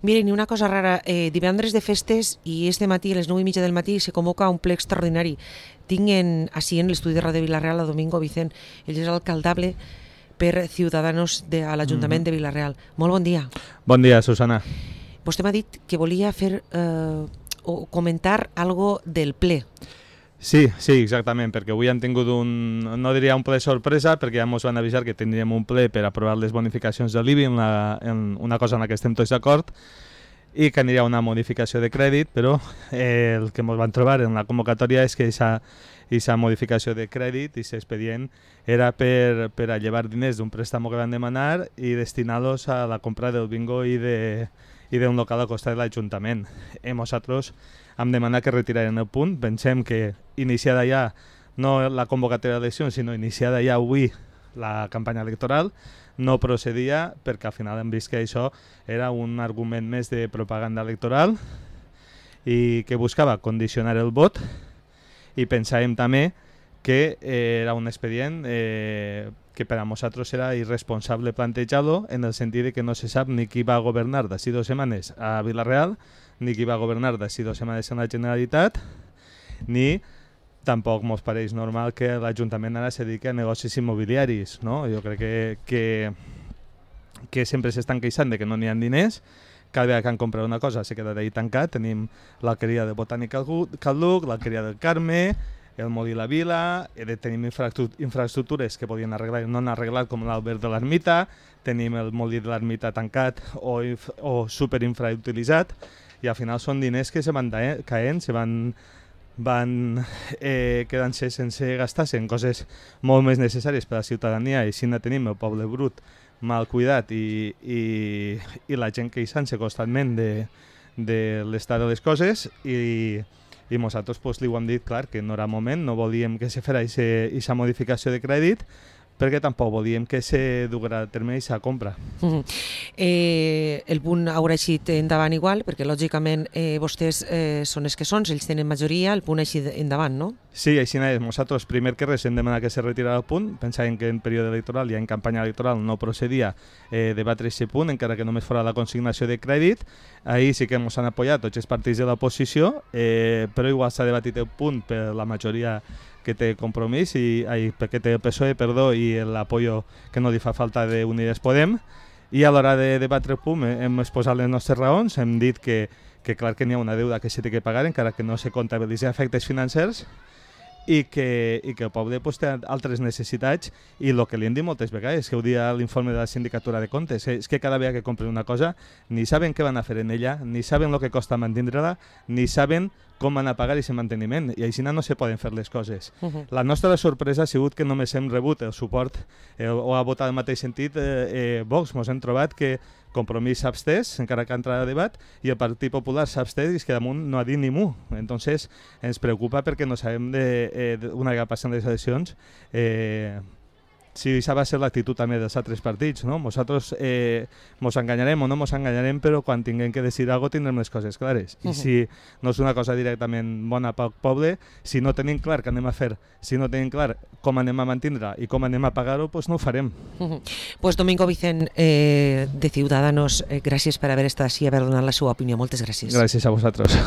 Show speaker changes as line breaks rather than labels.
Miren, i una cosa rara, divendres de festes i este matí, a les 9:30 del matí, se convoca un ple extraordinari. Tinc així en l'estudi de Ràdio Vila-real a Domingo Vicent, ell és alcaldable per Ciudadanos a l'Ajuntament de Vila-real. Molt bon dia.
Bon dia, Susana.
Vostè m'ha dit que volia fer o comentar algo del ple.
Sí, exactament, perquè avui hem tingut no diria un ple sorpresa, perquè ja ens van avisar que tindríem un ple per aprovar les bonificacions de l'IBI, en una cosa en la que estem tots d'acord, i que aniria una modificació de crèdit, però el que ens van trobar en la convocatòria és que aquesta modificació de crèdit, aquest expedient, era per a llevar diners d'un préstamo que van demanar i destinar-los a la compra del bingo i d'un local al costat de l'Ajuntament. Nosaltres hem demanat que retiraren el punt. Pensem que iniciada ja, no la convocatòria d'eleccions, sinó iniciada ja avui la campanya electoral, no procedia perquè al final hem vist que això era un argument més de propaganda electoral i que buscava condicionar el vot, i pensàvem també que era un expedient que per a nosaltres era irresponsable plantejar-lo, en el sentit de que no se sap ni qui va governar d'ací 2 setmanes a Vila-real, ni qui va governar d'ací 2 setmanes en la Generalitat, ni tampoc ens pareix normal que l'Ajuntament ara se dediqui a negocis immobiliaris, no? Jo crec que sempre s'estan queixant de que no n'hi ha diners, cada vegada que han comprat una cosa s'ha quedat ahí tancat. Tenim l'alqueria de Botànica Calduc, l'alqueria del Carme, el Molí la Vila, tenim infraestructures que podien arreglar i no han arreglat, com l'Albert de l'Ermita, tenim el Molí de l'Ermita tancat o superinfrautilitzat, i al final són diners que se van caent, se van quedant-se sense gastar-se en coses molt més necessàries per a la ciutadania, i així tenim el poble brut mal cuidat i la gent queixant-se constantment de l'estat de les coses, i nosaltres li ho hem dit clar, que no era moment, no volíem que se fera aquesta modificació de crèdit, perquè tampoc volíem que se duguera a terme aquesta compra.
El punt haurà eixit endavant igual, perquè lògicament vostès són els que són, ells tenen majoria, el punt ha eixit endavant, no?
Sí, així és. Nosaltres, primer que res, hem demanat que se retirara el punt. Pensàvem que en període electoral i en campanya electoral no procedia debatre aquest punt, encara que només fora la consignació de crèdit. Ahir sí que ens han apoyat tots els partits de l'oposició, però igual s'ha debatit el punt per la majoria que té Compromís, perquè té el PSOE, i l'apoyo que no li fa falta d'Unides Podem, i a l'hora de debatre el punt hem exposat les nostres raons, hem dit que clar que n'hi ha una deuda que s'ha de pagar, encara que no se comptabilitzen efectes financers, i que el poble té altres necessitats, i el que li hem dit moltes vegades, que ho dia l'informe de la Sindicatura de Comptes, és que cada vegada que compren una cosa ni saben què van a fer en ella, ni saben el que costa mantenir-la, ni saben com van a pagar aquest manteniment, i així no se poden fer les coses. La nostra sorpresa ha sigut que només hem rebut el suport o ha votat en el mateix sentit Vox. Ens hem trobat que Compromís s'ha abstès, encara que ha entrat a debat, i el Partit Popular s'ha abstès, i és que damunt no ha dit ni mu. Entonces ens preocupa perquè no sabem, una vegada passen les eleccions, si això va ser l'actitud també dels altres partits, no? Nosaltres ens enganyarem o no ens enganyarem, però quan tinguem que decidir alguna cosa tindrem les coses clares. I si no és una cosa directament bona pel poble, si no tenim clar què anem a fer, si no tenim clar com anem a mantenir-la i com anem a pagar-ho, doncs no ho farem.
Pues Domingo Vicent, de Ciudadanos, gràcies per haver estat així i haver donat la seva opinió. Moltes gràcies.
Gràcies a vosaltres.